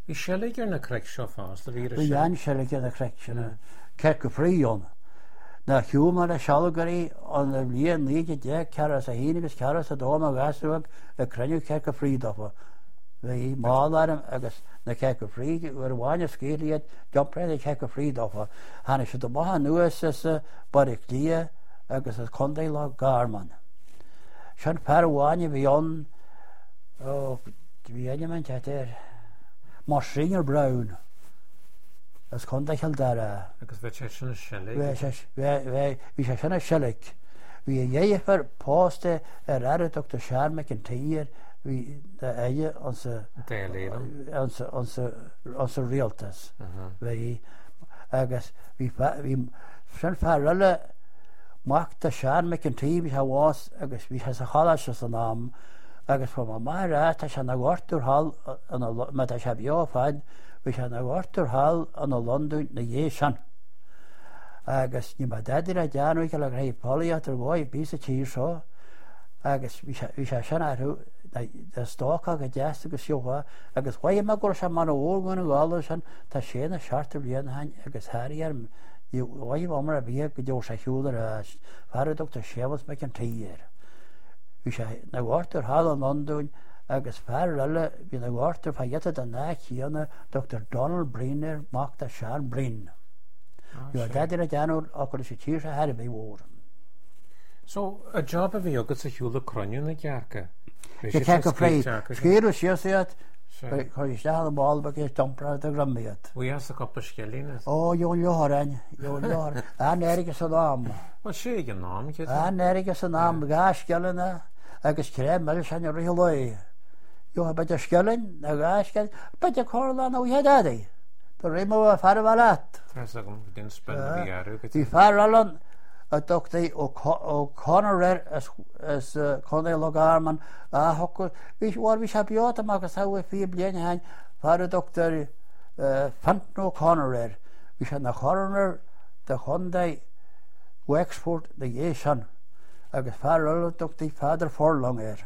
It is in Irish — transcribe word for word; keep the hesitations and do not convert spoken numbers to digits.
Bhí seilg ar na cnoic seo fosta, bhí Bhí an-seilg ar na cnoic sin, Cearca Fraoigh ann. Nuair a shiúil mé le sealgairí an bhliain naoi déag déag ceathracha is a haon agus ceathracha is a dó i mo ghasúr ag cruinniú cearca fraoigh daofa. Bhí mála orm agus na cearca fraoigh, uair amháin a scaoileadh iad, d'iompair na cearca fraoigh daofa. Tháinig siad amach anuas as Baile Átha Cliath agus as Contae Loch Garman. Sin fear amháin a bhí ann, ó, bhí ainm an teacht air, Monsignor Brown, as Contae Chill Dara. Agus bhí sé sin ag seilg? Bhí sé, bhí, bhí sé sin ag seilg. Bhí a dheirfiúr pósta ar fhear a dtugtar Seán McEntee air, bhí aire ansa, Dáil Éireann. ansa, ansa, ansa rialtas. Bhí, agus bhí, bhí, sin fear eile, mac de Seán McEntee, bhí sé bhás agus bhí sé sa choláiste san am, agus fuair mo mháthair é, tá sé ina dhochtúir thall, má tá sé beo fad, bhí sé ina dhochtúir thall in Londain na dhiaidh sin. Agus ní mbeadh dadaí le déanamh aici le go raibh folaíocht ar dhóigh ar bith sa tír seo, agus bhí sé, bhí sé sin orthu, na stócach go deas agus siúlfá, agus mhothaigh mé go raibh sé mar a bhór na Gallda sin, tá sé na seachtó bliain ó shin agus tharraing orm, ní mhothaigh mé ar bith go dtiocfadh sé ar shiúl ar ais, fear a dtugtar Séamus McEntee air. Bhí sé ina dhochtúir thall i Londain agus fear eile bhí ina dhochtúir fá ghiota den áit chéanna, Doctor Donald Breen air, mac de Seán Breen. Ní raibh dadaí le déanamh acu leis an tír seo thar a bheith mhór. So, an job a bhí agat sa shiúl ag cruinniú na gcearca? Bhí Na siad cearca scaoilte fraoigh. acu sin? Scaoileadh síos iad, Sea. chuir isteach an mála beag iad, d'iompair de dhroim iad. Bhí as a cúpla scilling is. Ó, gheobhainn leothráin, gheobhainn leothráin. An-airgead san am. Bhuel, sé ag an am, cé An-airgead san am, dhá scilling agus cré milseáin i rith an lae. Gheobhadh b'fhéidir scilling nó dhá scilling, b'fhéidir corrlá nó oíche dadaí. Do rith mé fear a bheith leat. Tá fhios agam, go dtí an spin a bhí orthu, go Bhí dtí. fear eile ann a dtugtaí O'Connor air as as Contae Loch Garman a thugadh, bhí bhuel bhí sé beo tá mé agus samhail fiche bliain ó shin, fear a dtugtar Fintan O'Connor air. Bhí sé ina choroner de chontae Wexford na dhiaidh sin agus fear eile a dtugtaí Father Furlong air.